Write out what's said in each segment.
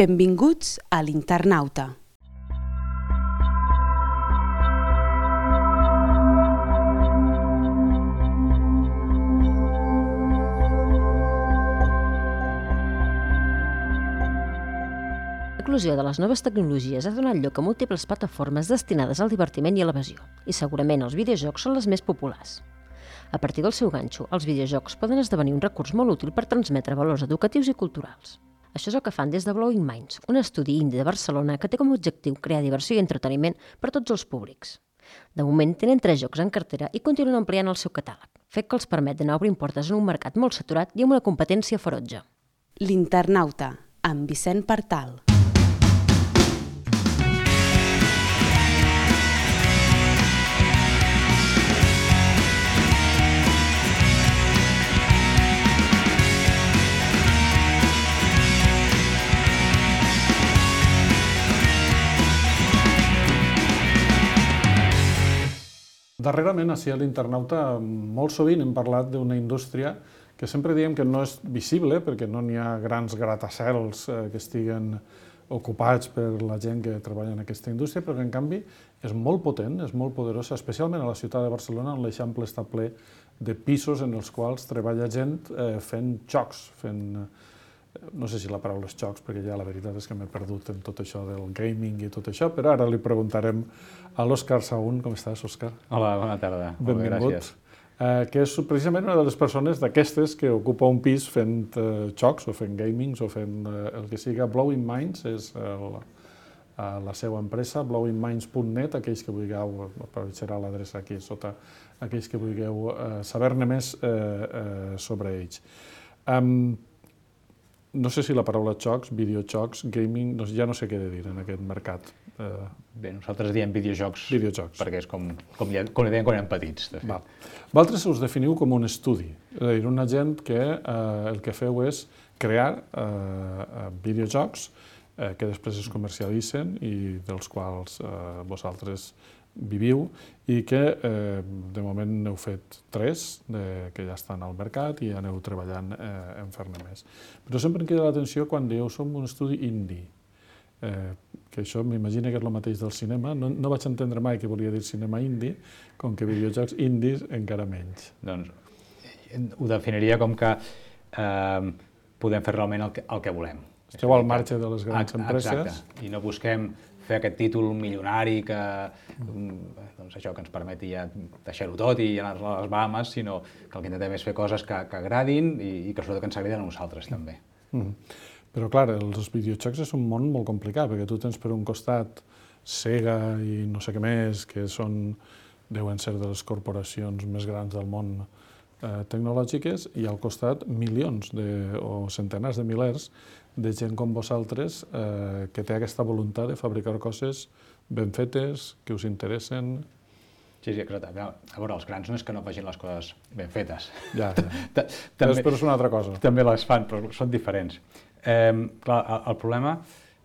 Benvinguts a l'Internauta. L'eclosió de les noves tecnologies ha donat lloc a múltiples plataformes destinades al divertiment i a l'evasió, i segurament els videojocs són les més populars. A partir del seu ganxo, els videojocs poden esdevenir un recurs molt útil per transmetre valors educatius i culturals. Això és el que fan des de Blowing Minds, un estudi indie de Barcelona que té com a objectiu crear diversió i entreteniment per a tots els públics. De moment tenen 3 jocs en cartera i continuen ampliant el seu catàleg, fet que els permet d'anar obrint portes en un mercat molt saturat i amb una competència ferotge. L'Internauta, amb Vicent Partal. Darrerament, a l'Internauta, molt sovint hem parlat d'una indústria que sempre diem que no és visible perquè no n'hi ha grans gratacels que estiguen ocupats per la gent que treballa en aquesta indústria, però que en canvi és molt potent, és molt poderosa, especialment a la ciutat de Barcelona, on l'Eixample està ple de pisos en els quals treballa gent fent jocs, no sé si la paraula és jocs, perquè ja la veritat és que m'he perdut en tot això del gaming i tot això, però ara li preguntarem a l'Òscar Sahún. Com estàs, Òscar? Hola, bona tarda. Benvingut. Gràcies. Que és precisament una de les persones d'aquestes que ocupa un pis fent jocs o fent gamings o fent el que siga. Blowing Minds és la seva empresa, blowingminds.net, aquells que vulgueu, apareixerà l'adreça aquí sota, aquells que vulgueu saber-ne més sobre ells. No sé si la paraula jocs, videojocs, gaming, ja no sé què he de dir en aquest mercat. Bé, nosaltres diem videojocs, perquè és com li deien quan érem petits, de fet. Vosaltres us definiu com un estudi, és a dir, una gent que el que feu és crear videojocs que després es comercialitzen i dels quals vosaltres viviu i que de moment n'heu fet 3 que ja estan al mercat i aneu treballant en fer-ne més. Però sempre em queda l'atenció quan dieu som un estudi indie, que això m'imagino que és el mateix del cinema. No vaig entendre mai que volia dir cinema indie, com que videojocs indies encara menys. Doncs ho definiria com que podem fer realment el que volem. Esteu al marge de les grans empreses. Exacte, i no busquem fer aquest títol milionari que això que ens permeti ja deixar-ho tot i anar a les Bahamas, sinó que el que intentem és fer coses que agradin i que sobretot que ens agradin a nosaltres també. Però clar, els videojocs és un món molt complicat, perquè tu tens per un costat Sega i no sé què més, que deuen ser de les corporacions més grans del món tecnològiques, i al costat milions o centenars de milers de gent com vosaltres que té aquesta voluntat de fabricar coses ben fetes, que us interessen. Sí, exacte. A veure, els grans no és que no facin les coses ben fetes. Ja. Però és una altra cosa. També les fan, però són diferents. Clar, el problema,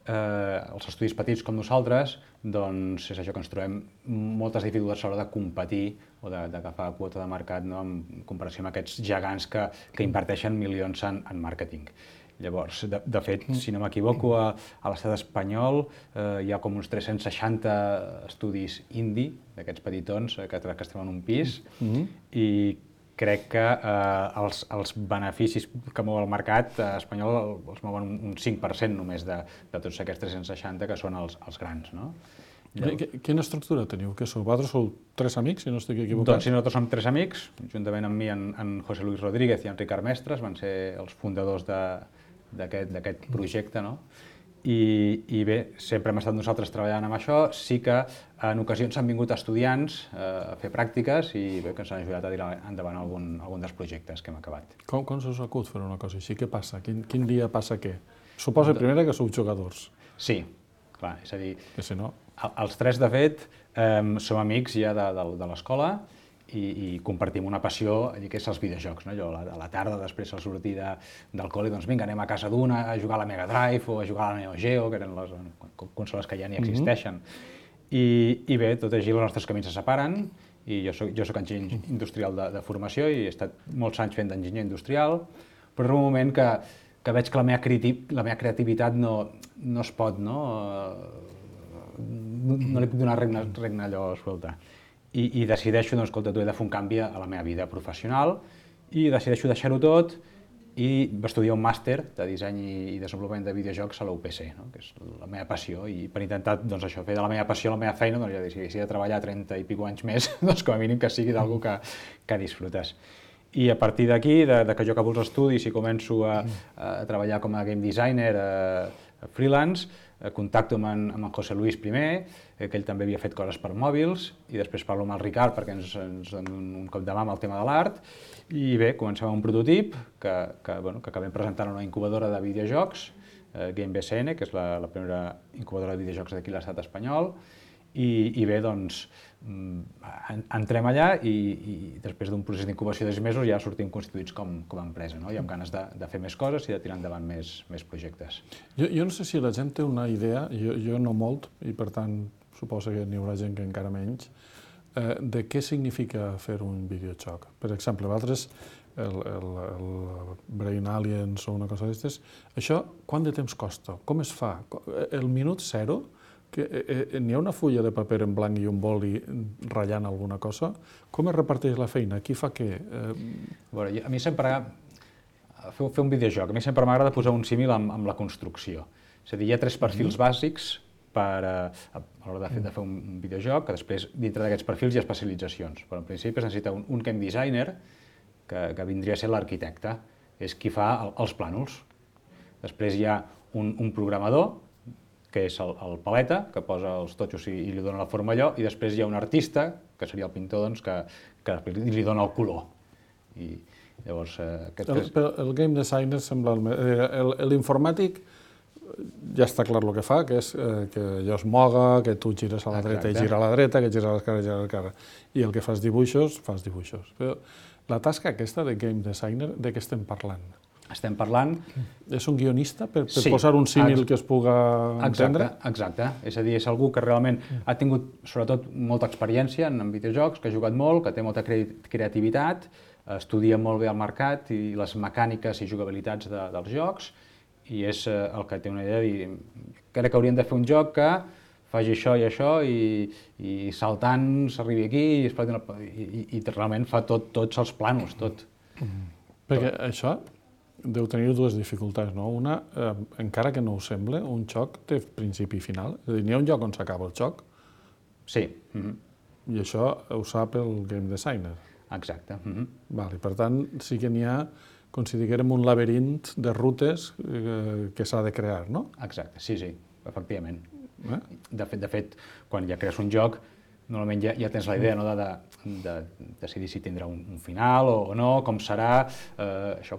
els estudis petits com nosaltres, doncs és això que ens trobem moltes dificultats a l'hora de competir o d'agafar quota de mercat en comparació amb aquests gegants que inverteixen milions en màrqueting. Llavors, de fet, si no m'equivoco, a l'estat espanyol hi ha com uns 360 estudis indie, d'aquests petitons que estem en un pis, i crec que els beneficis que mou el mercat espanyol els mouen un 5% només de tots aquests 360 que són els grans, no? Quina estructura teniu? Què sou? Vosaltres sou 3 amics, si no estic equivocat? Doncs sí, nosaltres som 3 amics, juntament amb mi, en José Luis Rodríguez i en Ricard Mestres, van ser els fundadors d'aquest projecte, no? I bé, sempre hem estat nosaltres treballant amb això, sí que en ocasions han vingut estudiants a fer pràctiques i bé, que ens han ajudat a tirar endavant algun dels projectes que hem acabat. Com se us acut fer una cosa així? Què passa? Quin dia passa què? Suposa primera que sou jugadors. Sí, clar, és a dir, que si no... els 3 de fet som amics ja de l'escola i compartim una passió que és els videojocs. Jo a la tarda, després al sortir del col·le, doncs vinga, anem a casa d'una a jugar a la Mega Drive o a jugar a la Neo Geo, que eren les consoles que ja ni existeixen. I bé, tot així els nostres camins se separen i jo soc enginyer industrial de formació i he estat molts anys fent d'enginyer industrial, però en un moment que que veig que la meva creativitat no es pot, no li puc donar regna allò suelta. I decideixo, doncs, escolta, tu he de fer un canvi a la meva vida professional i decideixo deixar-ho tot i va estudiar un màster de disseny i desenvolupament de videojocs a la UPC, no? Que és la meva passió, i per intentar, doncs, això, fer de la meva passió la meva feina, doncs, ja si he de treballar 30 i pico anys més, doncs com a mínim que sigui d'algú que disfrutes. I a partir d'aquí, que jo acabo els estudis i començo a treballar com a game designer freelance, contacto amb en José Luis primer, que ell també havia fet coses per mòbils, i després parlo amb el Ricard perquè ens doni un cop de mà amb el tema de l'art, i bé, comencem amb un prototip que acabem presentant a una incubadora de videojocs, Game BCN, que és la primera incubadora de videojocs d'aquí a l'estat espanyol, i bé, doncs, entrem allà i després d'un procés d'incubació de 6 mesos ja sortim constituïts com a empresa, no? I amb ganes de fer més coses i de tirar endavant més projectes. Jo no sé si la gent té una idea, jo no molt, i per tant suposo que n'hi haurà gent que encara menys, de què significa fer un videojoc. Per exemple, vosaltres, el Brain Aliens o una cosa d'aquestes, això quant de temps costa? Com es fa? El minut zero, n'hi ha una fulla de paper en blanc i un boli ratllant alguna cosa? Com es reparteix la feina? Qui fa què? A mi sempre, fer un videojoc, a mi sempre m'agrada posar un símil amb la construcció. És a dir, hi ha 3 perfils bàsics a l'hora de fer un videojoc, que després, dintre d'aquests perfils, hi ha especialitzacions. Però en principi es necessita un game designer, que vindria a ser l'arquitecte, és qui fa els plànols. Després hi ha un programador, que és el paleta, que posa els totxos i li dona la forma allò, i després hi ha un artista, que seria el pintor, doncs, que li dona el color. I llavors... El game designer sembla... L'informàtic ja està clar el que fa, que és que allò es moga, que tu gires a la dreta i gira a la dreta, que gires a l'esquerra i gira a l'esquerra. I el que fas dibuixos. Però la tasca aquesta de game designer, de què estem parlant? Estem parlant... És un guionista, per posar un símil que es puga entendre? Exacte. És a dir, és algú que realment ha tingut, sobretot, molta experiència en videojocs, que ha jugat molt, que té molta creativitat, estudia molt bé el mercat i les mecàniques i jugabilitats dels jocs, i és el que té una idea de dir, crec que hauríem de fer un joc que faci això i això, i saltant s'arribi aquí, i realment fa tots els plànols, tot. Perquè això deu tenir 2 dificultats, no? Una, encara que no ho sembla, un joc té principi i final. És a dir, n'hi ha un lloc on s'acaba el joc. Sí. I això ho sap el game designer. Exacte. Per tant, sí que n'hi ha, com si diguérem, un laberint de rutes que s'ha de crear, no? Exacte, sí, efectivament. De fet, quan ja crees un joc, normalment ja tens la idea de decidir si tindrà un final o no, com serà,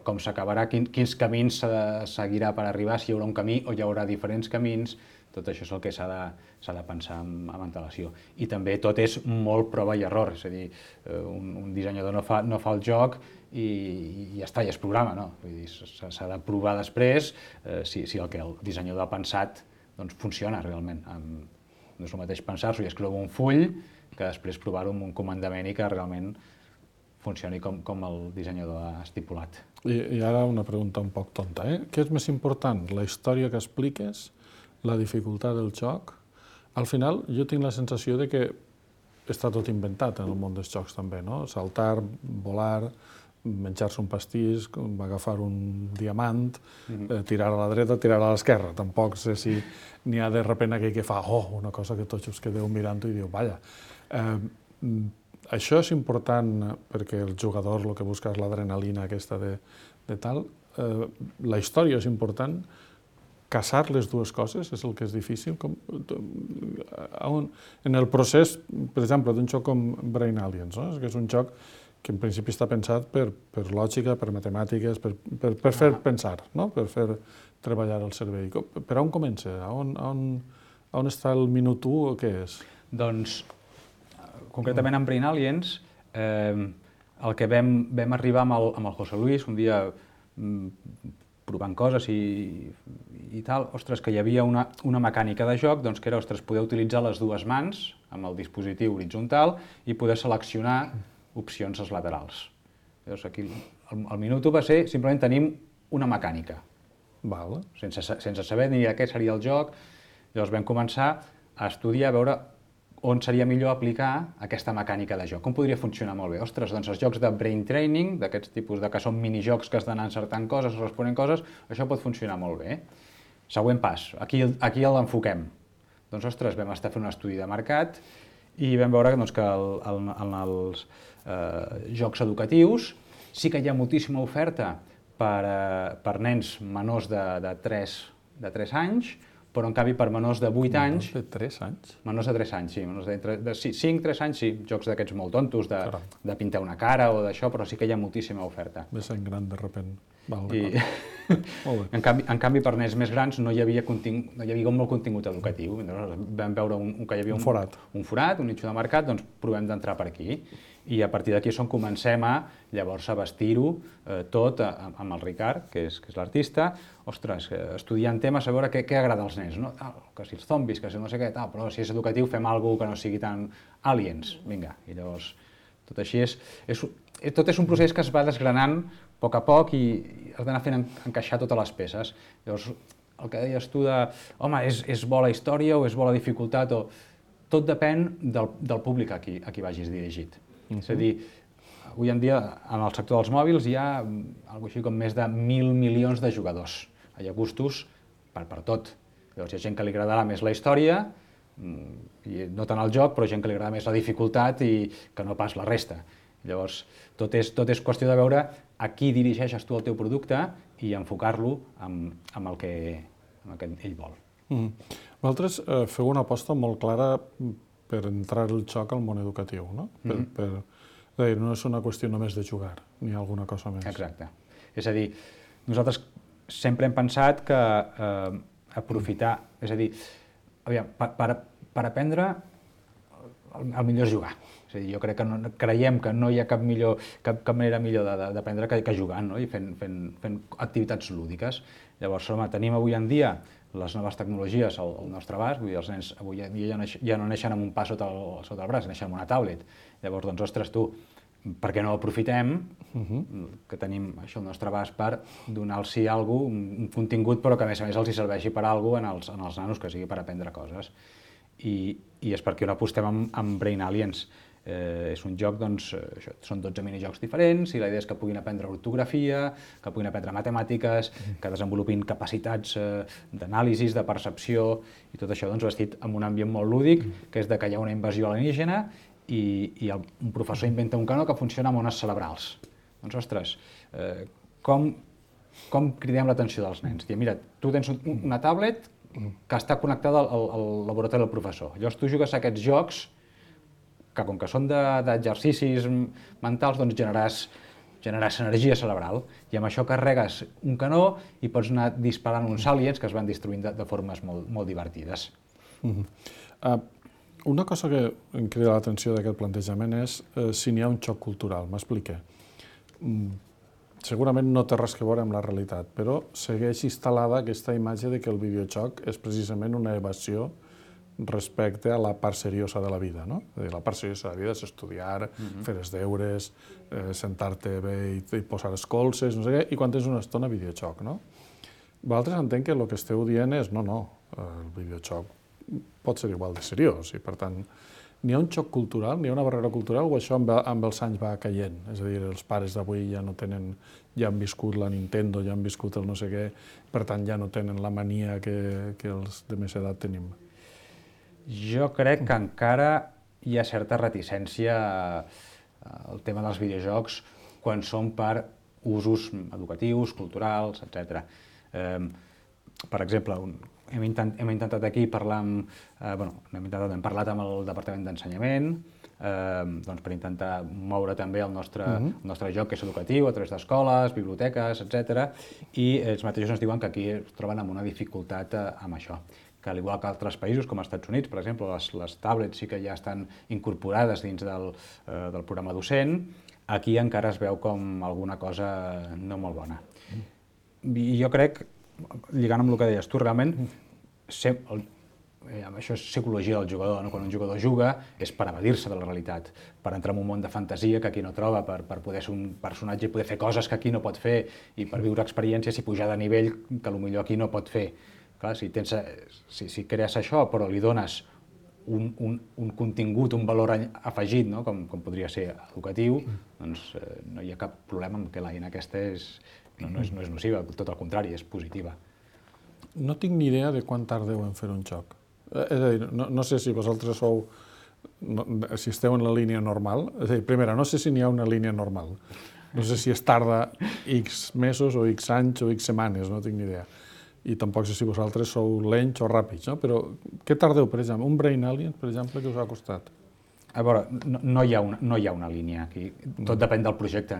com s'acabarà, quins camins seguirà per arribar, si hi haurà un camí o hi haurà diferents camins. Tot això és el que s'ha de pensar amb antelació. I també tot és molt prova i error, és a dir, un dissenyador no fa el joc i ja està, ja es programa, no? S'ha de provar després si el que el dissenyador ha pensat funciona realment. No és el mateix pensar-s'ho i escriure un full que després provar-ho amb un comandament i que realment funcioni com el dissenyador ha estipulat. I ara una pregunta un poc tonta, Què és més important, la història que expliques, la dificultat del joc? Al final, jo tinc la sensació de que està tot inventat en el món dels jocs també, no? Saltar, volar, menjar-se un pastís, agafar un diamant, tirar a la dreta, tirar a l'esquerra. Tampoc sé si n'hi ha de repent aquell que fa una cosa que tots us quedeu mirant-ho i diu, vaja. Això és important perquè el jugador el que busca és l'adrenalina aquesta de tal. La història és important. Casar les 2 coses és el que és difícil. En el procés, per exemple, d'un joc com Brain Aliens, que és un joc que en principi està pensat per lògica, per matemàtiques, per fer pensar, per fer treballar el cervell. Per on comença? On està el minut 1 o què és? Doncs, concretament en Brain Aliens, el que vam arribar amb el José Luis, un dia provant coses i tal, ostres, que hi havia una mecànica de joc, doncs que era, ostres, poder utilitzar les 2 mans amb el dispositiu horitzontal i poder seleccionar opcions als laterals. Llavors, aquí, el minut 1 va ser, simplement tenim una mecànica. Val. sense saber ni què seria el joc. Llavors vam començar a estudiar, a veure on seria millor aplicar aquesta mecànica de joc, com podria funcionar molt bé. Ostres, doncs els jocs de brain training, d'aquests tipus que són minijocs que has d'anar encertant coses, responent coses, això pot funcionar molt bé. Següent pas, aquí l'enfoquem. Doncs, ostres, vam estar fent un estudi de mercat i vam veure que en els jocs educatius sí que hi ha moltíssima oferta per nens menors de 3 anys, però en canvi per menors de 8 anys... Menors de 3 anys? Menors de 3 anys, sí. Menors de 5-3 anys, sí. Jocs d'aquests molt tontos, de pintar una cara o d'això, però sí que hi ha moltíssima oferta. Ve sent gran de repent. Molt bé. En canvi, per nens més grans no hi havia molt contingut educatiu. Vam veure que hi havia un forat, un nicho de mercat, doncs provem d'entrar per aquí. I a partir d'aquí és on comencem llavors a vestir-ho tot amb el Ricard, que és l'artista, ostres, estudiant temes, a veure què agrada als nens, no? Que si els zombis, que si no sé què, però si és educatiu fem alguna cosa que no sigui tan aliens, vinga. I llavors, tot així tot és un procés que es va desgranant a poc i has d'anar fent encaixar totes les peces. Llavors, el que deies tu de, home, és bo la història o és bo la dificultat, tot depèn del públic a qui vagis dirigit. És a dir, avui en dia en el sector dels mòbils hi ha alguna així com més de 1.000 milions de jugadors. Hi ha gustos per tot. Llavors hi ha gent que li agradarà més la història, i no tant el joc, però gent que li agrada més la dificultat i que no pas la resta. Llavors, tot és qüestió de veure a qui dirigeixes tu el teu producte i enfocar-lo amb el que ell vol. Vosaltres feu una aposta molt clara per entrar el joc al món educatiu, no? No és una qüestió només de jugar, ni alguna cosa més. Exacte. És a dir, nosaltres sempre hem pensat que aprofitar, és a dir, per aprendre el millor és jugar. És a dir, jo crec que creiem que no hi ha cap manera millor d'aprendre que jugant, no? I fent activitats lúdiques. Llavors, tenim avui en dia les noves tecnologies al nostre abast, vull dir, els nens avui ja no neixen amb un pa sota el braç, neixen amb una tablet. Llavors, doncs, ostres, per què no aprofitem que tenim això al nostre abast per donar-los alguna cosa, un contingut, però que a més els serveixi per alguna cosa en els nanos, que sigui per aprendre coses. I és perquè no apostem amb Brain Aliens. És un joc, doncs, són 12 minijocs diferents i la idea és que puguin aprendre ortografia, que puguin aprendre matemàtiques, que desenvolupin capacitats d'anàlisi, de percepció i tot això vestit amb un ambient molt lúdic, que és que hi ha una invasió alienígena i un professor inventa un canó que funciona amb ones cerebrals. Doncs, ostres, com cridem l'atenció dels nens? Mira, tu tens una tablet que està connectada al laboratori del professor. Llavors tu jugues a aquests jocs que com que són d'exercicis mentals, doncs generaràs energia cerebral i amb això carregues un canó i pots anar disparant uns aliens que es van destruint de formes molt divertides. Una cosa que em crida l'atenció d'aquest plantejament és si n'hi ha un xoc cultural, m'explique. Segurament no té res a veure amb la realitat, però segueix instal·lada aquesta imatge de que el videojoc és precisament una evasió respecte a la part seriosa de la vida, no? La part seriosa de la vida és estudiar, fer els deures, sentar-te bé i posar els colzes, no sé què, i quan tens una estona videojoc, no? Vosaltres entenc que el que esteu dient és no, el videojoc pot ser igual de seriós i per tant n'hi ha un xoc cultural, n'hi ha una barrera cultural o això amb els anys va caient? És a dir, els pares d'avui ja no tenen, ja han viscut la Nintendo, ja han viscut el no sé què, per tant ja no tenen la mania que els de més edat tenim. Jo crec que encara hi ha certa reticència al tema dels videojocs quan són per usos educatius, culturals, etc. Per exemple, hem intentat aquí parlar amb... hem parlat amb el Departament d'Ensenyament per intentar moure també el nostre joc que és educatiu a través d'escoles, biblioteques, etc. I ells mateixos ens diuen que aquí es troben amb una dificultat amb això. Que al igual que altres països com els Estats Units, per exemple, les tablets sí que ja estan incorporades dins del programa docent, aquí encara es veu com alguna cosa no molt bona. I jo crec, lligant amb el que deies tu, realment això és psicologia del jugador, no? Quan un jugador juga és per evadir-se de la realitat, per entrar en un món de fantasia que aquí no troba, per poder ser un personatge i poder fer coses que aquí no pot fer i per viure experiències i pujar de nivell que potser aquí no pot fer. Clar, si crees això però li dones un contingut, un valor afegit, no? com podria ser educatiu, doncs no hi ha cap problema amb que l'eina aquesta no és nociva, tot el contrari, és positiva. No tinc ni idea de quan tardeu en fer un joc. És a dir, no sé si vosaltres si esteu en la línia normal. És a dir, primera, no sé si n'hi ha una línia normal. No sé si es tarda X mesos o X anys o X setmanes, no tinc ni idea. I tampoc sé si vosaltres sou lents o ràpids, no? Però què tardeu, per exemple? Un Brain Alien, per exemple, que us ha costat? A veure, no hi ha una línia aquí. Tot depèn del projecte.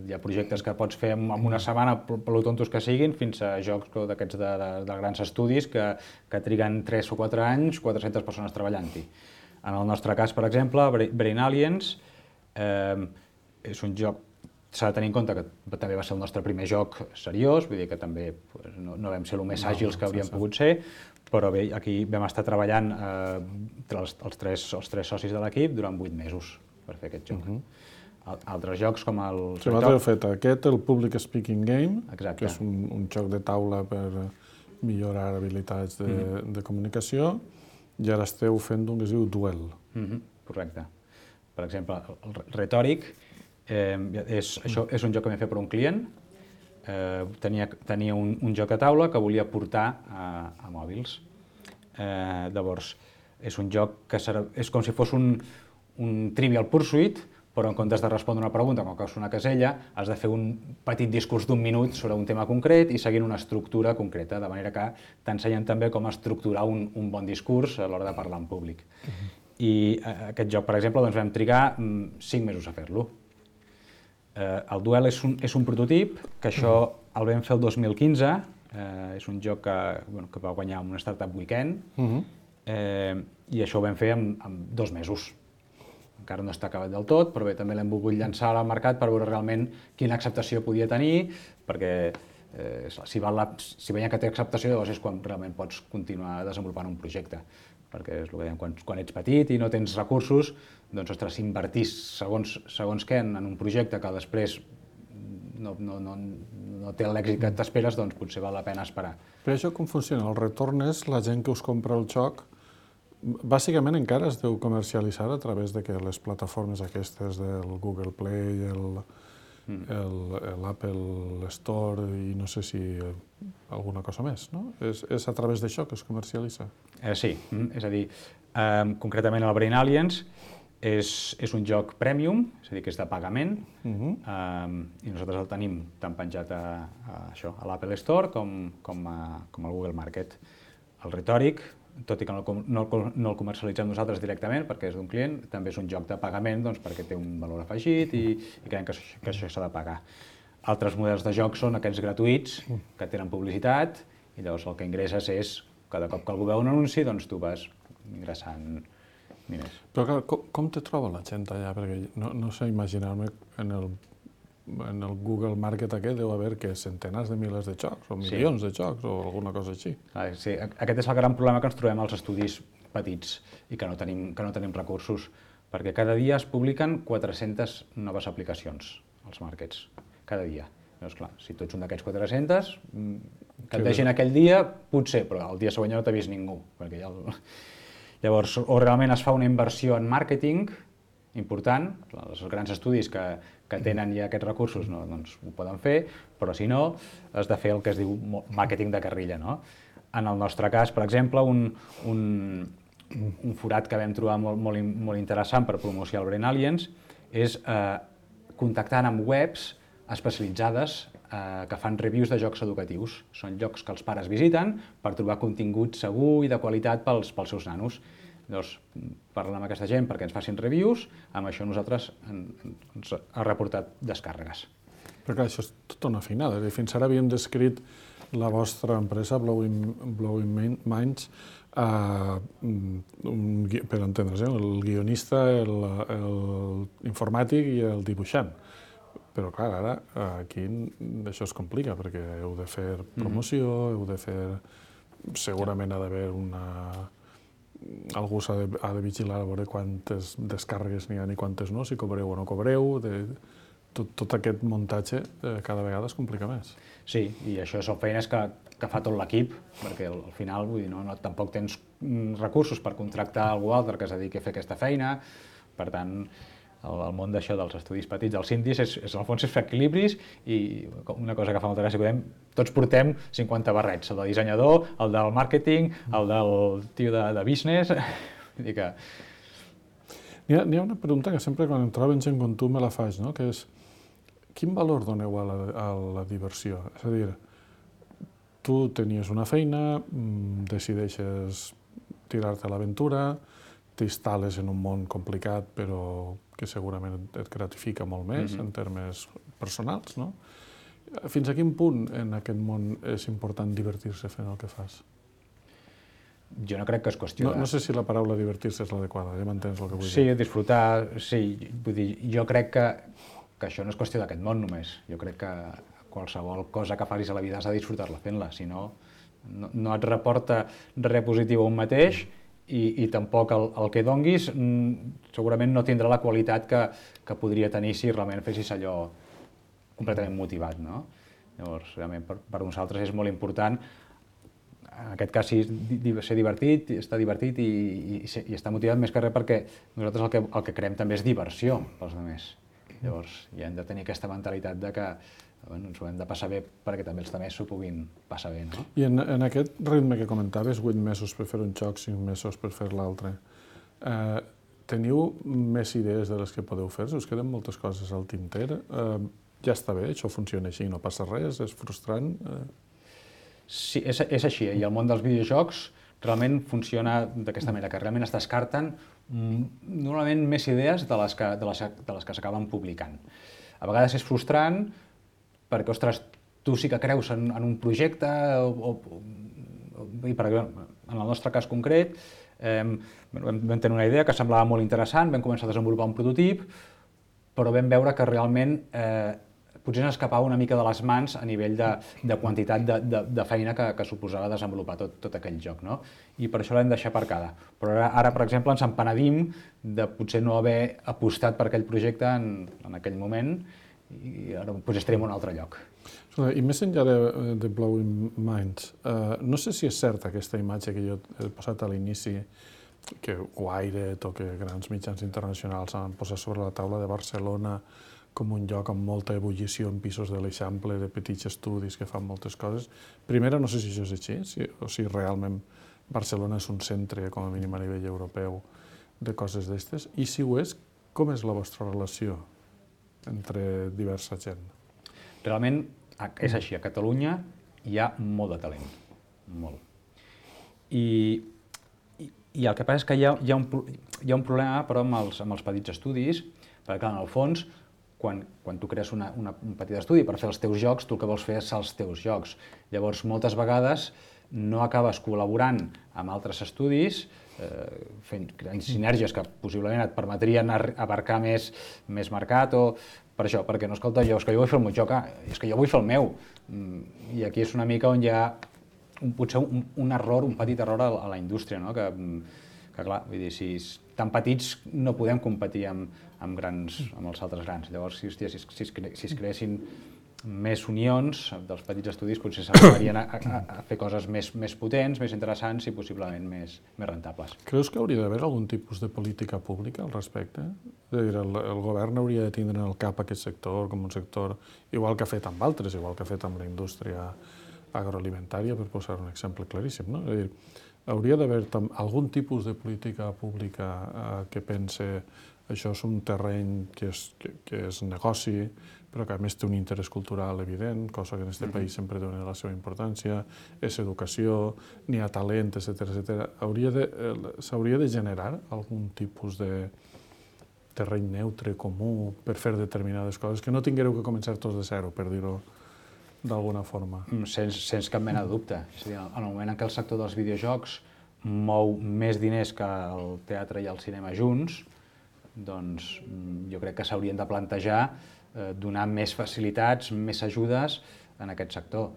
Hi ha projectes que pots fer en una setmana, per lo tontos que siguin, fins a jocs d'aquests de grans estudis que triguen 3 o 4 anys, 400 persones treballant-hi. En el nostre cas, per exemple, Brain Aliens és un joc. S'ha de tenir en compte que també va ser el nostre primer joc seriós, vull dir que també no vam ser el més àgils que hauríem pogut ser, però bé, aquí vam estar treballant entre els tres socis de l'equip durant 8 mesos per fer aquest joc. Altres jocs com el... Si vosaltres heu fet aquest, el Public Speaking Game, Exacte. que és un joc de taula per millorar habilitats de comunicació, i ara esteu fent un que es diu Duel. Correcte. Per exemple, el Retòric això és un joc que vam fer per un client. Tenia un joc a taula que volia portar a mòbils. Llavors, és un joc que és com si fos un Trivial Pursuit, però en comptes de respondre una pregunta com que és una casella, has de fer un petit discurs d'1 minut sobre un tema concret i seguint una estructura concreta, de manera que t'ensenyen també com estructurar un bon discurs a l'hora de parlar en públic. I aquest joc, per exemple, vam trigar 5 mesos a fer-lo. El Duel és un prototip, que això el vam fer el 2015, és un joc que va guanyar un Startup Weekend, i això ho vam fer en 2 mesos. Encara no està acabat del tot, però bé, també l'hem volgut llançar al mercat per veure realment quina acceptació podia tenir, perquè si veiem que té acceptació, llavors és quan realment pots continuar desenvolupant un projecte. Perquè és el que dèiem, quan ets petit i no tens recursos, doncs, ostres, si invertís segons què en un projecte que després no té l'èxit que t'esperes, doncs potser val la pena esperar. Però això com funciona? El retorn és la gent que us compra el joc, bàsicament encara es deu comercialitzar a través de les plataformes aquestes del Google Play, l'Apple Store i no sé si alguna cosa més, no? És a través d'això que es comercialitza? Sí, és a dir, concretament el Brain Aliens és un joc premium, és a dir, que és de pagament, i nosaltres el tenim tant penjat a l'Apple Store com al Google Market. El Retòric, tot i que no el comercialitzem nosaltres directament perquè és d'un client, també és un joc de pagament perquè té un valor afegit i creiem que això s'ha de pagar. Altres models de joc són aquests gratuïts que tenen publicitat i llavors el que ingresses és, cada cop que algú veu un anunci, doncs tu vas ingressant diners. Però clar, com te troba la gent allà? Perquè no sé imaginar-me en el Google Market aquest deu haver centenars de milers de jocs o milions de jocs o alguna cosa així. Sí, aquest és el gran problema que ens trobem als estudis petits i que no tenim recursos, perquè cada dia es publiquen 400 noves aplicacions als markets, cada dia. Llavors, clar, si tu ets un d'aquests 400, que et vegin aquell dia, potser, però el dia següent ja no t'ha vist ningú. Llavors, o realment es fa una inversió en màrqueting important, els grans estudis que tenen ja aquests recursos doncs ho poden fer, però si no, has de fer el que es diu màrqueting de carrilla. En el nostre cas, per exemple, un forat que vam trobar molt interessant per promocionar el Brain Aliens és contactant amb webs especialitzades que fan reviews de jocs educatius. Són llocs que els pares visiten per trobar contingut segur i de qualitat pels seus nanos. Llavors, parlant amb aquesta gent perquè ens facin reviews, amb això nosaltres ens ha reportat descàrregues. Però clar, això és tota una feinada. Fins ara havíem descrit la vostra empresa, Blowing Minds, per entendre's, el guionista, l'informàtic i el dibuixant. Però clar, ara aquí això es complica perquè heu de fer promoció, heu de fer... Segurament ha d'haver algú ha de vigilar a veure quantes descàrregues n'hi ha i quantes no, si cobreu o no cobreu, tot aquest muntatge cada vegada es complica més. Sí, i això són feines que fa tot l'equip, perquè al final vull dir, tampoc tens recursos per contractar algú altre que es dediqui a fer aquesta feina, per tant, el món d'això dels estudis petits, dels indis, al fons és fer equilibris i una cosa que fa molta gràcia, tots portem 50 barrets, el del dissenyador, el del màrqueting, el del tio de business, vull dir que... N'hi ha una pregunta que sempre quan em troben gent com tu me la faig, no? Que és, quin valor doneu a la diversió? És a dir, tu tenies una feina, decideixes tirar-te a l'aventura, t'instal·les en un món complicat però que segurament et gratifica molt més en termes personals, no? Fins a quin punt en aquest món és important divertir-se fent el que fas? Jo no crec que és qüestió de... No sé si la paraula divertir-se és l'adequada, ja m'entens el que vull dir. Sí, disfrutar, sí. Vull dir, jo crec que això no és qüestió d'aquest món només. Jo crec que qualsevol cosa que facis a la vida has de disfrutar-la fent-la, si no, no et reporta res positiu a un mateix i tampoc el que donguis segurament no tindrà la qualitat que podria tenir si realment fessis allò completament motivat, no? Llavors, realment, per nosaltres és molt important, en aquest cas, ser divertit, estar divertit i estar motivat més que res perquè nosaltres el que creem també és diversió pels altres. Llavors, ja hem de tenir aquesta mentalitat de que ens ho hem de passar bé perquè també els altres s'ho puguin passar bé, no? I en aquest ritme que comentaves, 8 mesos per fer un joc, 5 mesos per fer l'altre, teniu més idees de les que podeu fer? Us queden moltes coses al tinter? Ja està bé, això funciona així, no passa res, és frustrant? Sí, és així, i el món dels videojocs realment funciona d'aquesta manera, que realment es descarten normalment més idees de les que s'acaben publicant. A vegades és frustrant perquè, ostres, tu sí que creus en un projecte, i per exemple, en el nostre cas concret, vam tenir una idea que semblava molt interessant, vam començar a desenvolupar un prototip, però vam veure que realment potser ens escapava una mica de les mans a nivell de quantitat de feina que suposava desenvolupar tot aquell joc, no? I per això l'hem deixat aparcada. Però ara, per exemple, ens empenedim de potser no haver apostat per aquell projecte en aquell moment i ara potser estarem en un altre lloc. I més enllà de Blowing Minds, no sé si és certa aquesta imatge que jo he posat a l'inici, que Wired o que grans mitjans internacionals han posat sobre la taula de Barcelona com un lloc amb molta ebullició en pisos de l'Eixample, de petits estudis que fan moltes coses. Primera, no sé si això és així, o si realment Barcelona és un centre, com a mínim a nivell europeu, de coses d'estes. I si ho és, com és la vostra relació entre diversa gent? Realment és així, a Catalunya hi ha molt de talent, molt. I el que passa és que hi ha un problema, però, amb els petits estudis, perquè, clar, en el fons, quan tu crees un petit estudi per fer els teus jocs, tu el que vols fer és els teus jocs. Llavors, moltes vegades no acabes col·laborant amb altres estudis, creant sinergies que possiblement et permetrien abarcar més mercat, o per això, perquè no, escolta, és que jo vull fer el meu joc, és que jo vull fer el meu. I aquí és una mica on hi ha potser un error, un petit error a la indústria, no? Que clar, vull dir, si tan petits no podem competir amb els altres grans. Llavors, si es creessin més unions dels petits estudis, potser s'arribarien a fer coses més potents, més interessants i possiblement més rentables. Creus que hauria d'haver algun tipus de política pública al respecte? És a dir, el govern hauria de tindre en el cap aquest sector com un sector igual que ha fet amb altres, igual que ha fet amb la indústria agroalimentària, per posar un exemple claríssim, no? És a dir, hauria d'haver algun tipus de política pública que pense això és un terreny que és negoci, però que a més té un interès cultural evident, cosa que en aquest país sempre dona la seva importància, és educació, n'hi ha talent, etc. S'hauria de generar algun tipus de terreny neutre, comú, per fer determinades coses, que no tingueu que començar tots de zero, per dir-ho d'alguna forma. Sens cap mena de dubte. És a dir, en el moment en què el sector dels videojocs mou més diners que el teatre i el cinema junts, doncs jo crec que s'haurien de plantejar donar més facilitats, més ajudes en aquest sector.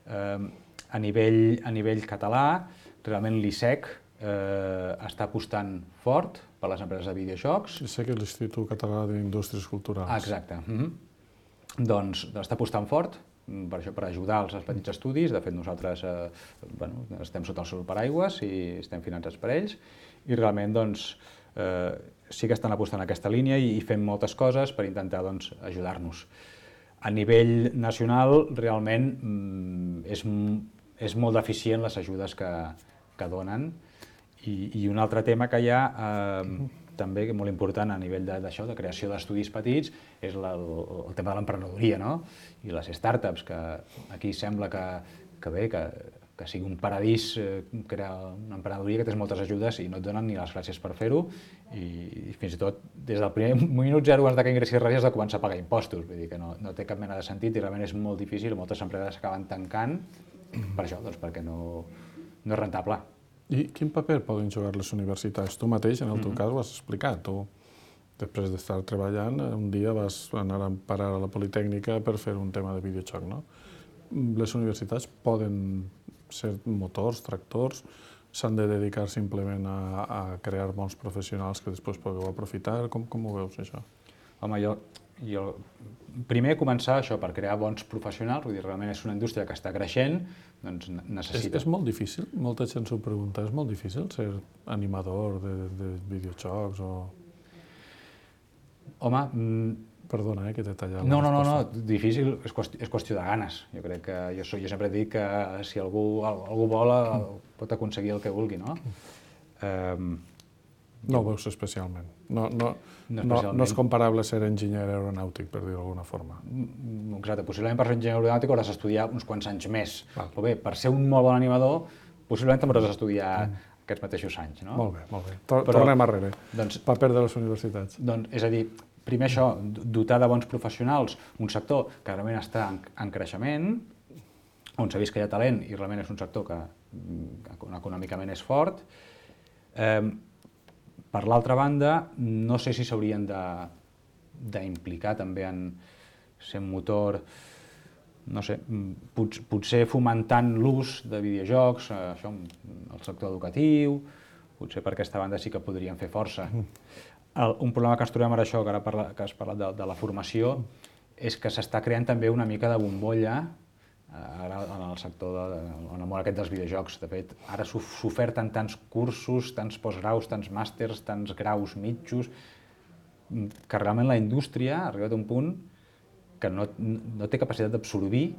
A nivell català, realment l'ISEC està apostant fort per les empreses de videojocs. Sé que és l'Institut Català d'Indústries Culturals. Exacte. Doncs està apostant fort per això, per ajudar els petits estudis. De fet, nosaltres estem sota el seu paraigües i estem finançats per ells. I realment sí que estan apostant en aquesta línia i fem moltes coses per intentar ajudar-nos. A nivell nacional, realment, és molt deficient les ajudes que donen. I un altre tema que hi ha, també molt important a nivell d'això, de creació d'estudis petits, és el tema de l'emprenedoria, no? I les startups, que aquí sembla que sigui un paradís crear una emprenedoria que té moltes ajudes i no et donen ni les gràcies per fer-ho, i fins i tot des del primer minut zero abans que ingressis res has de començar a pagar impostos, vull dir que no té cap mena de sentit i realment és molt difícil, moltes empreses acaben tancant per això, perquè no és rentable. I quin paper poden jugar les universitats? Tu mateix, en el teu cas, ho has explicat. Tu, després d'estar treballant, un dia vas anar a parar a la Politècnica per fer un tema de videojoc, no? Les universitats poden ser motors, tractors, s'han de dedicar simplement a crear bons professionals que després podeu aprofitar? Com ho veus, això? Home, jo primer començar això, per crear bons professionals, vull dir, realment és una indústria que està creixent, doncs necessita... És molt difícil, molta gent s'ho pregunta, és molt difícil ser animador de videojocs o... Home... Perdona, que t'he tallat. No, difícil és qüestió de ganes. Jo crec que jo sempre dic que si algú vol pot aconseguir el que vulgui, no? No ho veus especialment. No és comparable ser enginyer aeronàutic, per dir-ho d'alguna forma. Exacte, possiblement per ser enginyer aeronàutic hauràs d'estudiar uns quants anys més. Però bé, per ser un molt bon animador, possiblement també hauràs d'estudiar aquests mateixos anys, no? Molt bé. Tornem arrere. Paper de les universitats. És a dir, primer això, dotar de bons professionals un sector que realment està en creixement, on s'ha vist que hi ha talent i realment és un sector que econòmicament és fort. Per l'altra banda, no sé si s'haurien d'implicar també en ser un motor, no sé, potser fomentant l'ús de videojocs, això, el sector educatiu, potser per aquesta banda sí que podrien fer força. Un problema que ens trobem ara, això, que ara que has parlat de la formació, és que s'està creant també una mica de bombolla en el sector, en el món aquest dels videojocs. De fet, ara s'oferten tants cursos, tants postgraus, tants màsters, tants graus mitjos, que realment la indústria ha arribat a un punt que no té capacitat d'absorbir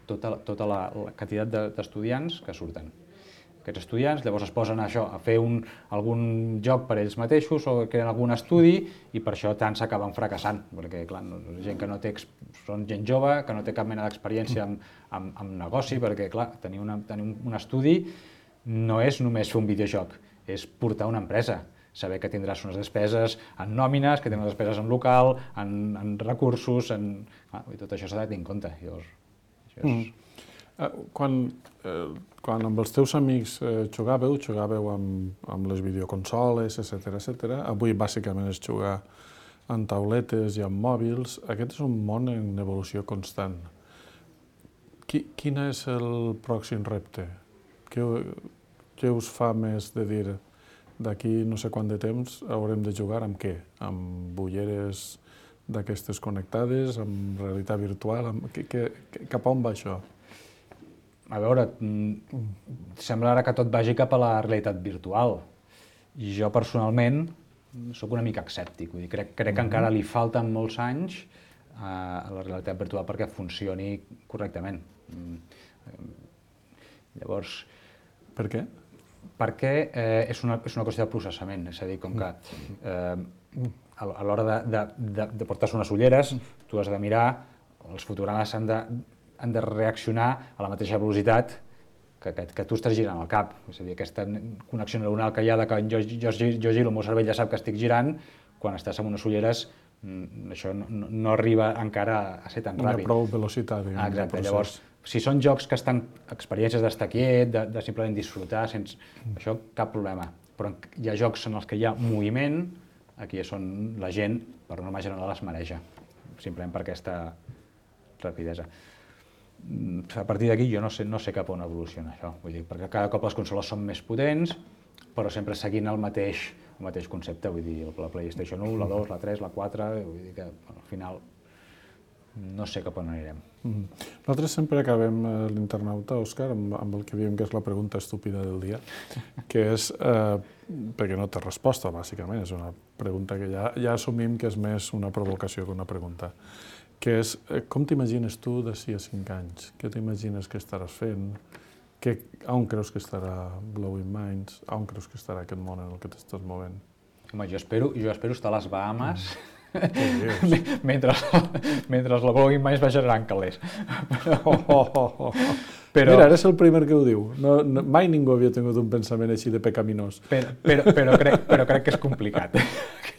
tota la quantitat d'estudiants que surten. Aquests estudiants llavors es posen a fer algun joc per ells mateixos o creen algun estudi i per això tant s'acaben fracassant, perquè clar, són gent jove que no té cap mena d'experiència en negoci, perquè clar, tenir un estudi no és només fer un videojoc, és portar una empresa, saber que tindràs unes despeses en nòmines, que tindràs despeses en local, en recursos, tot això s'ha de tenir en compte. Quan amb els teus amics jugàveu amb les videoconsoles, etc. Avui bàsicament és jugar en tauletes i en mòbils. Aquest és un món en evolució constant. Quin és el pròxim repte? Què us fa més de dir d'aquí no sé quant de temps haurem de jugar amb què? Amb ulleres d'aquestes connectades, amb realitat virtual? Cap a on va això? A veure, sembla ara que tot vagi cap a la realitat virtual. I jo personalment sóc una mica escèptic. Crec que encara li falten molts anys a la realitat virtual perquè funcioni correctament. Llavors... Per què? Perquè és una qüestió de processament. És a dir, com que a l'hora de portar-se unes ulleres, tu has de mirar, els fotogrames han de reaccionar a la mateixa velocitat que tu estàs girant el cap. És a dir, aquesta connexió neuronal que hi ha de que jo giro, el meu cervell ja sap que estic girant, quan estàs amb unes ulleres això no arriba encara a ser tan ràpid. Una prou velocitat, diguem. Exacte, llavors, si són jocs que estan experiències d'estar quiet, de simplement disfrutar, sense això cap problema. Però hi ha jocs en els que hi ha moviment, aquí és on la gent, per norma general, es mareja, simplement per aquesta rapidesa. A partir d'aquí jo no sé cap on evoluciona això, vull dir, perquè cada cop les consoles són més potents, però sempre seguint el mateix concepte, vull dir, la PlayStation 1, la 2, la 3, la 4, vull dir que al final no sé cap on anirem. Nosaltres sempre acabem l'internauta, Òscar, amb el que diem que és la pregunta estúpida del dia, que és, perquè no té resposta, bàsicament, és una pregunta que ja assumim que és més una provocació que una pregunta, que és, com t'imagines tu d'ací a 5 anys? Què t'imagines que estaràs fent? On creus que estarà Blowing Minds? On creus que estarà aquest món en el que t'estàs movent? Home, jo espero estar a les Bahamas mentre la Blowing Minds va generant calés. Però... Mira, eres el primer que ho diu. Mai ningú havia tingut un pensament així de pecaminós. Però crec que és complicat.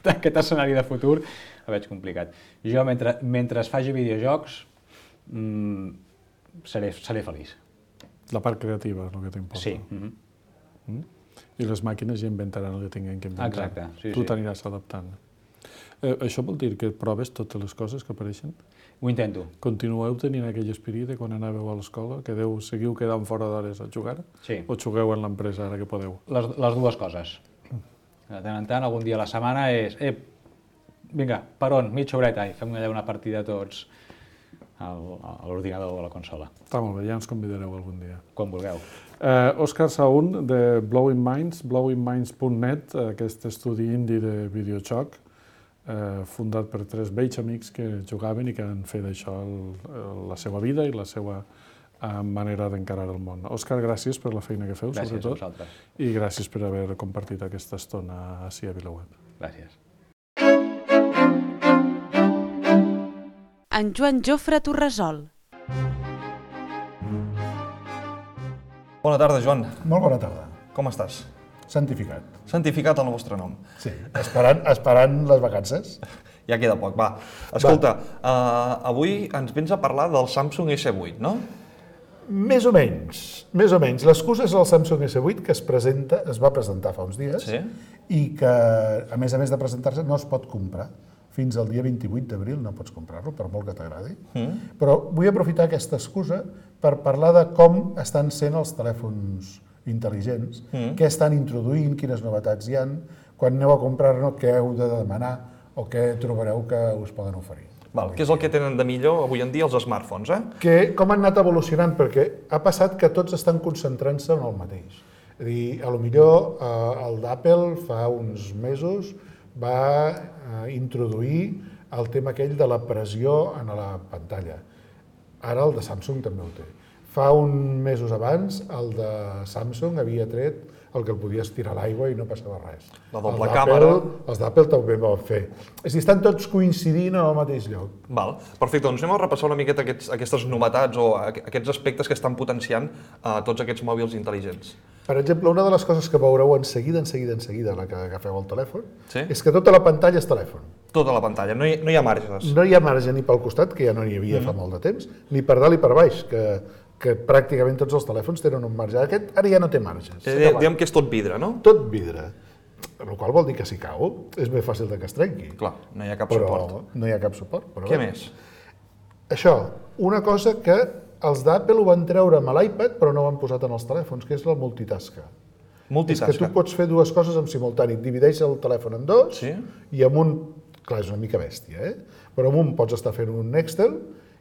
Aquest escenari de futur el veig complicat. Jo, mentre es faci videojocs, seré feliç. La part creativa és el que t'importa. Sí. I les màquines ja inventaran el que tinguin que inventar. Exacte, sí. Tu t'aniràs adaptant. Això vol dir que proves totes les coses que apareixen? Ho intento. Continueu tenint aquell esperit de quan anàveu a l'escola? Que seguiu quedant fora d'hores a jugar? Sí. O jugueu en l'empresa ara que podeu? Les dues coses. De tant en tant, algun dia a la setmana és... Vinga, per on? Mitja horeta i fem allà una partida tots a l'ordinador o a la consola. Està molt bé, ja ens convidareu algun dia. Quan vulgueu. Òscar Saún, de Blowing Minds, blowingminds.net, aquest estudi indie de videojoc, fundat per 3 vells amics que jugaven i que han fet d'això la seva vida i la seva manera d'encarar el món. Òscar, gràcies per la feina que feu, gràcies sobretot. Gràcies a vosaltres. I gràcies per haver compartit aquesta estona ací a VilaWeb. Gràcies. En Joan Jofre Torresol. Bona tarda, Joan. Molt bona tarda. Com estàs? Santificat. Santificat el vostre nom. Sí, esperant les vacances. Ja queda poc, va. Escolta, avui ens vens a parlar del Samsung S8, no? Més o menys. L'excusa és el Samsung S8 que es va presentar fa uns dies i que, a més de presentar-se, no es pot comprar. Fins al dia 28 d'abril no pots comprar-lo, per molt que t'agradi. Però vull aprofitar aquesta excusa per parlar de com estan sent els telèfons intel·ligents, què estan introduint, quines novetats hi ha, quan aneu a comprar-ne, què heu de demanar o què trobareu que us poden oferir. Què és el que tenen de millor avui en dia els smartphones, Com han anat evolucionant, perquè ha passat que tots estan concentrant-se en el mateix. És a dir, potser el d'Apple fa uns mesos va introduir el tema aquell de la pressió en la pantalla. Ara el de Samsung també ho té. Fa uns mesos abans, el de Samsung havia tret el que el podies tirar a l'aigua i no passava res. La doble càmera. Els d'Apple també ho van fer. És a dir, estan tots coincidint en el mateix lloc. Perfecte, doncs anem a repassar una miqueta aquestes novetats o aquests aspectes que estan potenciant tots aquests mòbils intel·ligents. Per exemple, una de les coses que veureu en seguida, a la que agafeu el telèfon, Sí? és que tota la pantalla és telèfon. Tota la pantalla, no hi ha marges. No hi ha marge ni pel costat, que ja no n'hi havia fa molt de temps, ni per dalt i per baix, que pràcticament tots els telèfons tenen un marge. Aquest ara ja no té marges. Diguem que és tot vidre, no? Tot vidre. El qual vol dir que si cau és més fàcil que es trenqui. Clar, no hi ha cap suport. No hi ha cap suport. Què més? Això, una cosa que els d'Apple ho van treure amb l'iPad però no ho han posat en els telèfons, que és la multitasca. És que tu pots fer dues coses en simultani. Divideix el telèfon en dos i amb un... Clar, és una mica bèstia, però amb un pots estar fent un Excel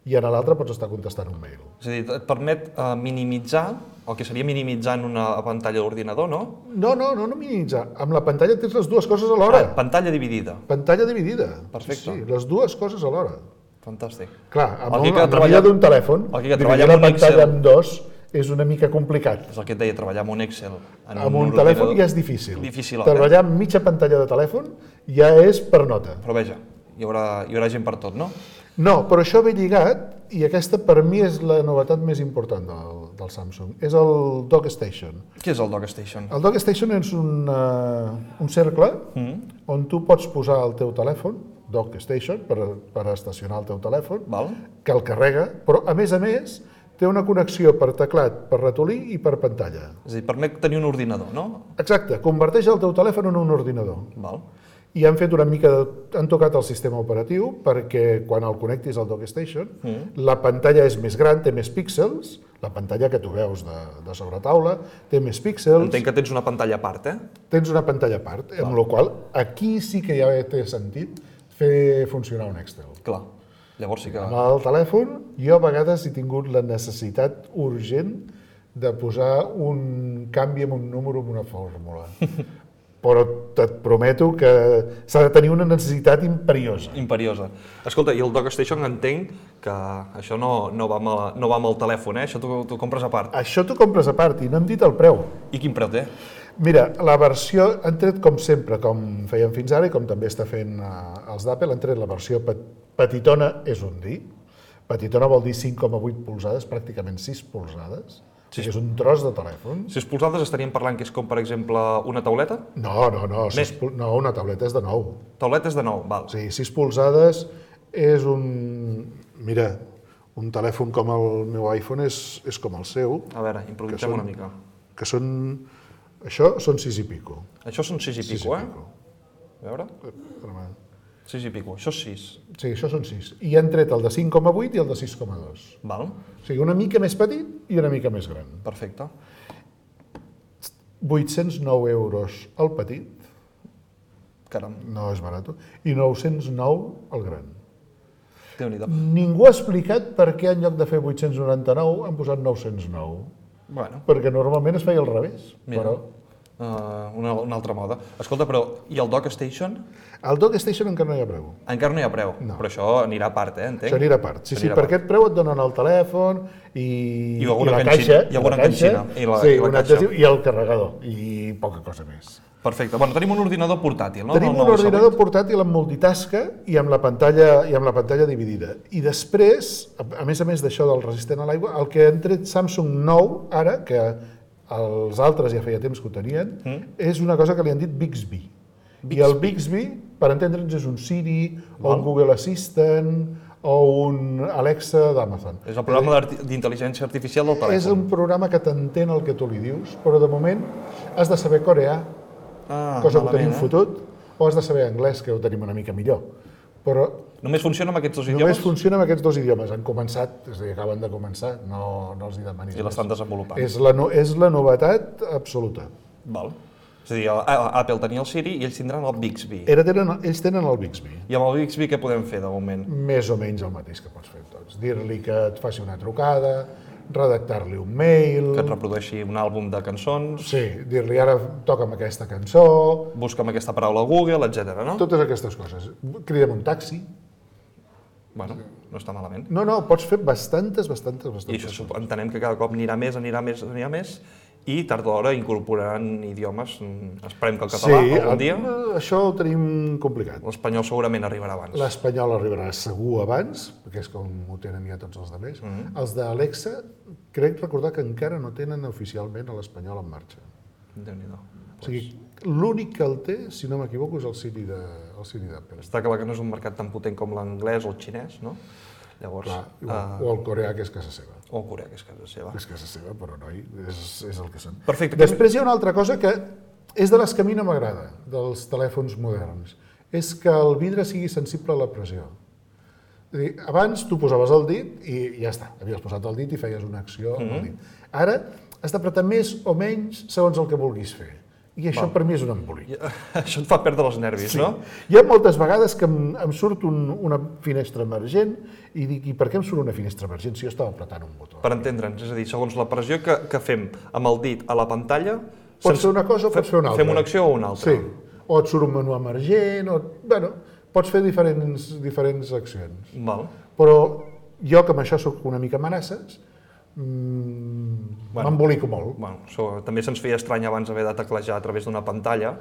i en l'altre pots estar contestant un mail. És a dir, et permet minimitzar, el que seria minimitzar en una pantalla d'ordinador, no? No minimitzar. Amb la pantalla tens les dues coses alhora. Pantalla dividida. Pantalla dividida. Perfecte. Sí, les dues coses alhora. Fantàstic. Clar, amb la vida d'un telèfon, dividir la pantalla en dos és una mica complicat. És el que et deia, treballar amb un Excel. Amb un telèfon ja és difícil. Difícil. Treballar amb mitja pantalla de telèfon ja és per nota. Però veja, hi haurà gent per tot, no? No, però això ve lligat, i aquesta per mi és la novetat més important del Samsung, és el Dock Station. Què és el Dock Station? El Dock Station és un cercle on tu pots posar el teu telèfon, Dock Station, per estacionar el teu telèfon, que el carrega, però a més, té una connexió per teclat, per ratolí i per pantalla. És a dir, permet tenir un ordinador, no? Exacte, converteix el teu telèfon en un ordinador. i han fet una mica han tocat el sistema operatiu perquè quan el connectis al DockStation la pantalla és més gran, té més píxels, la pantalla que tu veus de sobretaula té més píxels. Entenc que tens una pantalla a part, Tens una pantalla a part, amb la qual aquí sí que ja té sentit fer funcionar un Excel. Clar, llavors sí que... Amb el telèfon jo a vegades he tingut la necessitat urgent de posar un canvi en un número en una fórmula. Però et prometo que s'ha de tenir una necessitat imperiosa. Imperiosa. Escolta, i el DockStation entenc que això no va amb el telèfon, Això t'ho compres a part. Això t'ho compres a part i no hem dit el preu. I quin preu té? Mira, la versió, han tret com sempre, com feien fins ara i com també està fent els d'Apple, han tret la versió petitona, és un dir. Petitona vol dir 5,8 polzades, pràcticament 6 polzades. Sí. És un tros de telèfon. 6 polzades estaríem parlant que és com, per exemple, una tauleta? No, una tauleta és de 9. Tauleta és de 9, val. Sí, 6 polzades és un... Mira, un telèfon com el meu iPhone és com el seu. A veure, improvisem una mica. Que són... Això són 6 i pico. Això són 6 i pico, A veure? 6 i pico, això és 6. Sí, això són 6. I han tret el de 5,8 i el de 6,2. Val. O sigui, una mica més petit i una mica més gran. Perfecte. 809 euros el petit. Caram. No és barat. I 909 el gran. Déu-n'hi-do. Ningú ha explicat per què en lloc de fer 899 han posat 909. Bueno. Perquè normalment es feia al revés. Mira. Però... una altra moda. Escolta, però, i el DockStation? El DockStation encara no hi ha preu. Encara no hi ha preu, no. Però això anirà a part, entenc? Això anirà a part. Sí, per aquest preu et donen el telèfon i la caixa. I alguna canxina. I la caixa. I el carregador. I poca cosa més. Perfecte. Bueno, tenim un ordinador portàtil, no? Tenim un ordinador portàtil amb multitasca i amb la pantalla dividida. I després, a més d'això del resistent a l'aigua, el que han tret Samsung nou, ara, que els altres ja feia temps que ho tenien, és una cosa que li han dit Bixby. I el Bixby, per entendre'ns, és un Siri, o un Google Assistant, o un Alexa d'Amazon. És el programa d'intel·ligència artificial del telèfon. És un programa que t'entén el que tu li dius, però de moment has de saber coreà, cosa que ho tenim fotut, o has de saber anglès, que ho tenim una mica millor. Però només funciona amb aquests dos idiomes? Només funciona amb aquests dos idiomes. Han començat, és a dir, acaben de començar, no els hi demanis més. I l'estan desenvolupant. És la novetat absoluta. Val. És a dir, Apple tenia el Siri i ells tindran el Bixby. Ells tenen el Bixby. I amb el Bixby què podem fer de moment? Més o menys el mateix que pots fer tots. Dir-li que et faci una trucada, redactar-li un mail... Que et reprodueixi un àlbum de cançons... Sí, dir-li ara toca'm aquesta cançó... Busca'm aquesta paraula a Google, etc. no? Totes aquestes coses. Crida'm un taxi... Bueno, no està malament. No, pots fer bastantes I això entenem que cada cop anirà més, i tard o d'hora incorporaran idiomes, esperem que el català algun dia... Sí, això ho tenim complicat. L'espanyol segurament arribarà abans. L'espanyol arribarà segur abans, perquè és com ho tenen ja tots els altres. Els d'Alexa, crec recordar que encara no tenen oficialment l'espanyol en marxa. Déu-n'hi-do. O sigui, l'únic que el té, si no m'equivoco, és el Siri d'Apple. Està clar que no és un mercat tan potent com l'anglès o el xinès, no? Llavors, o el coreà, que és casa seva. O el coreà, que és casa seva. És casa seva, però noi, és el que són. Perfecte. Després hi ha una altra cosa que és de les que a mi no m'agrada, dels telèfons moderns. És que el vidre sigui sensible a la pressió. És a dir, abans tu posaves el dit i ja està, havies posat el dit i feies una acció amb el dit. Ara has d'apretar més o menys segons el que vulguis fer. I això per mi és un embolic. Això et fa perdre els nervis, no? Hi ha moltes vegades que em surt una finestra emergent i dic, i per què em surt una finestra emergent si jo estava apretant un botó? Per entendre'ns, és a dir, segons la pressió que fem amb el dit a la pantalla... Pots fer una cosa o pots fer una altra. Fem una acció o una altra. Sí, o et surt un menú emergent, bueno, pots fer diferents accions. Val. Però jo, que amb això soc una mica amenaces, m'embolico molt. Bueno, també se'ns feia estrany abans haver de teclejar a través d'una pantalla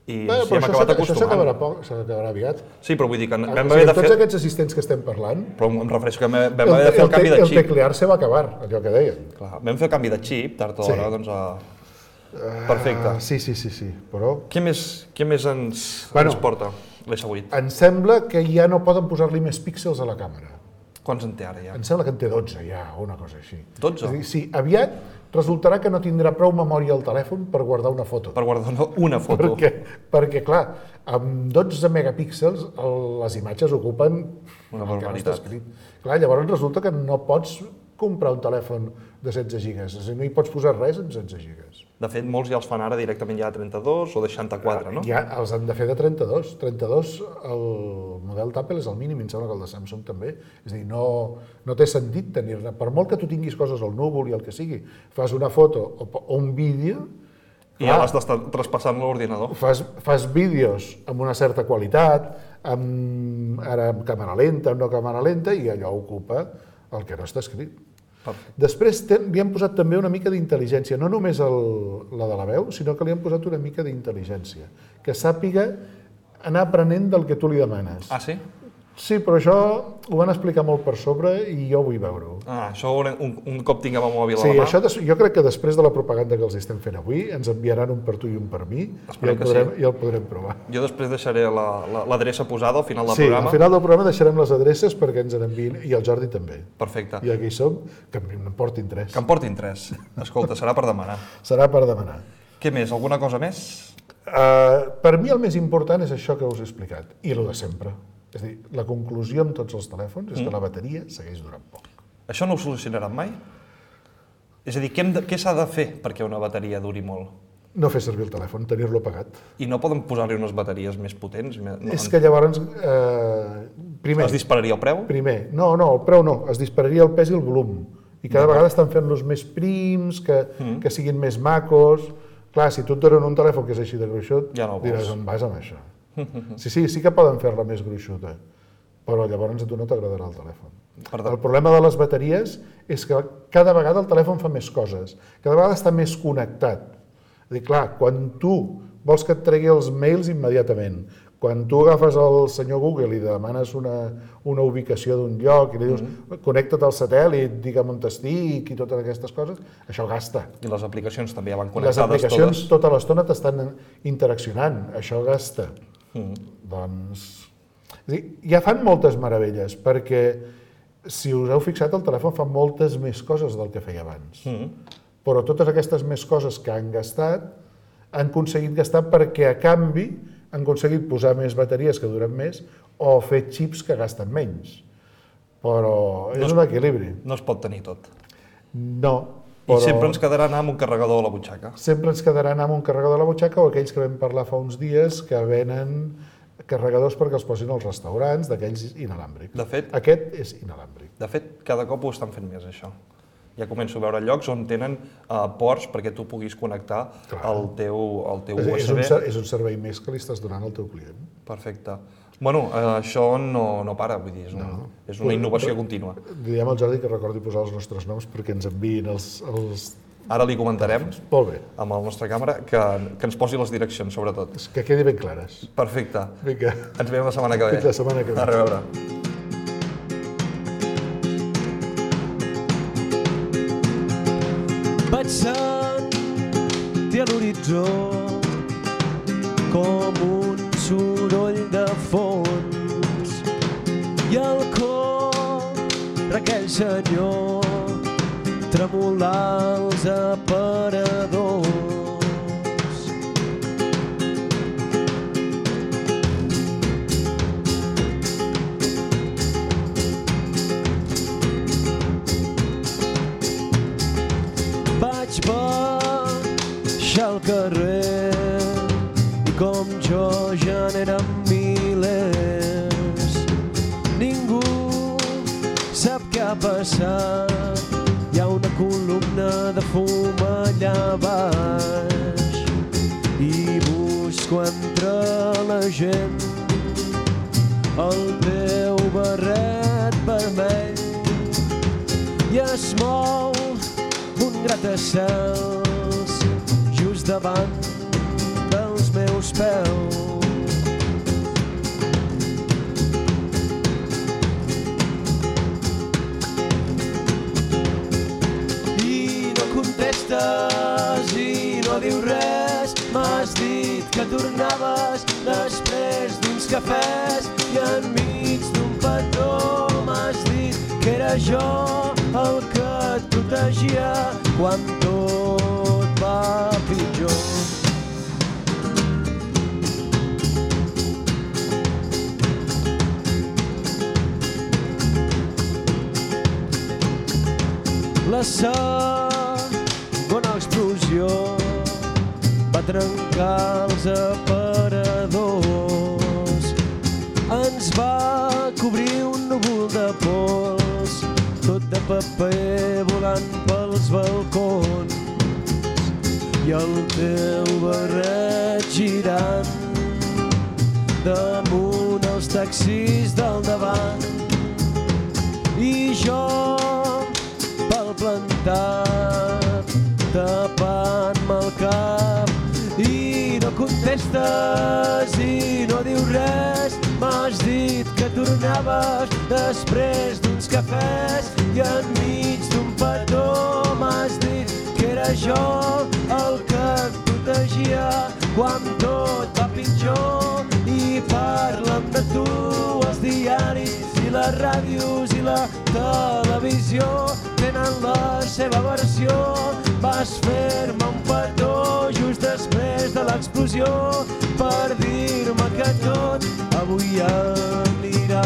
i hem acabat acostumant. Això s'acabarà aviat. Sí, però vull dir que vam haver de fer... Tots aquests assistents que estem parlant... Però em refereixo que vam haver de fer el canvi de xip. El teclear se va acabar, allò que deien. Clar, vam fer el canvi de xip, tard o d'hora, doncs... Perfecte. Sí, però... Què més ens porta l'S8? Em sembla que ja no poden posar-li més píxels a la càmera. Quants en té ara ja? Em sembla que en té 12 ja, o una cosa així. 12? És a dir, sí, aviat resultarà que no tindrà prou memòria al telèfon per guardar una foto. Per guardar una foto. Perquè clar, amb 12 megapíxels les imatges ocupen una el que no està barbaritat. escrit. Clar, llavors resulta que no pots comprar un telèfon de 16 gigas, és a dir, no hi pots posar res en 16 gigas. De fet, molts ja els fan ara directament ja de 32 o de 64, no? Ja els han de fer de 32. 32, el model d'Apple és el mínim, em sembla que el de Samsung també. És a dir, no té sentit tenir-ne. Per molt que tu tinguis coses al núvol i el que sigui, fas una foto o un vídeo, I ja l'has d'estar traspassant l'ordinador. fas vídeos amb una certa qualitat, ara amb càmera lenta, amb no càmera lenta, i allò ocupa el que no està escrit. Perfecte. Després li han posat també una mica d'intel·ligència, no només la de la veu, sinó que li han posat una mica d'intel·ligència, que sàpiga anar aprenent del que tu li demanes. Ah, sí? Sí, però això ho van explicar molt per sobre i jo vull veure-ho. Ah, això un cop tinguem el mòbil Sí, a la mà... això jo crec que després de la propaganda que els estem fent avui ens enviaran un per tu i un per mi i el podrem provar. Jo després deixaré l'adreça posada al final del Sí, programa. al final del programa deixarem les adreces perquè ens n'enviïn, i el Jordi també. Perfecte. I aquí som, que em portin 3. Que en portin 3. Escolta, serà per demanar. Serà per demanar. Què més? Alguna cosa més? Per mi el més important és això que us he explicat, i el de sempre. És a dir, la conclusió amb tots els telèfons és que la bateria segueix durant poc. Això no ho solucionaran mai? És a dir, què s'ha de fer perquè una bateria duri molt? No fer servir el telèfon, tenir-lo apagat. I no poden posar-li unes bateries més potents? És que llavors, primer... Es dispararia el preu? Primer, no, el preu no, es dispararia el pes i el volum. I cada vegada estan fent-los més prims, que siguin més macos. Clar, si tu et donen un telèfon que és així de gruixut, ja no diràs, on vas amb això? Sí que poden fer-la més gruixuta, però llavors a tu no t'agradarà el telèfon. El problema de les bateries és que cada vegada el telèfon fa més coses, cada vegada està més connectat. És dir, clar, quan tu vols que et tregui els mails immediatament, quan tu agafes el senyor Google i demanes una ubicació d'un lloc i li dius connecta't al satèl·lit, digue'm on estic i totes aquestes coses, això gasta. I les aplicacions també ja van connectades totes? Les aplicacions totes? Tota l'estona t'estan interaccionant, això gasta. Doncs... Ja fan moltes meravelles, perquè si us heu fixat, el telèfon fa moltes més coses del que feia abans. Però totes aquestes més coses que han gastat, han aconseguit gastar perquè a canvi han aconseguit posar més bateries que duren més o fer xips que gasten menys. Però és un equilibri. No es pot tenir tot. No. I sempre ens quedarà anar amb un carregador a la butxaca. Sempre ens quedarà anar amb un carregador a la butxaca, o aquells que vam parlar fa uns dies que venen carregadors perquè els posin als restaurants, d'aquells inalàmbrics. De fet, aquest és inalàmbric. De fet, cada cop ho estan fent més, això. Ja començo a veure llocs on tenen ports perquè tu puguis connectar el teu USB. És un servei més que li estàs donant al teu client. Perfecte. Bueno, això no para, vull dir, és una innovació contínua. Diem al Jordi que recordi posar els nostres noms perquè ens enviïn els... Ara li comentarem Molt bé. amb el nostre càmera que ens posi les direccions, sobretot. Que quedi ben clares. Perfecte. Vinga. Ens veiem la setmana que ve. Fins la setmana que ve. A reveure. Passant-hi a l'horitzó com un soroll de fons i el cor d'aquell senyor tremolar els aparadors. Vaig baixar al carrer i com jo ja n'eren milers. Ningú sap què ha passat, hi ha una columna de fum allà baix i busco entre la gent el teu barret vermell i es mou un gratacels just davant dels meus peus. I no contestes i no dius res, m'has dit que tornaves després d'uns cafès i enmig d'un petó m'has dit era jo el que et protegia quan tot va pitjor. La segona explosió va trencar els aparadors. Ens va cobrir un núvol de pols, tot de paper volant pels balcons. I el teu barret girant damunt els taxis del davant. I jo plantat, tapant-me el cap, i no contestes i no dius res. M'has dit que tornaves després d'uns cafès i enmig d'un petó m'has dit que era jo el que et protegia quan tot va pitjor. I parlen de tu els diaris i les ràdios i la televisió, tenen la seva versió. Vas fer-me un petó just després de l'explosió per dir-me que tot avui anirà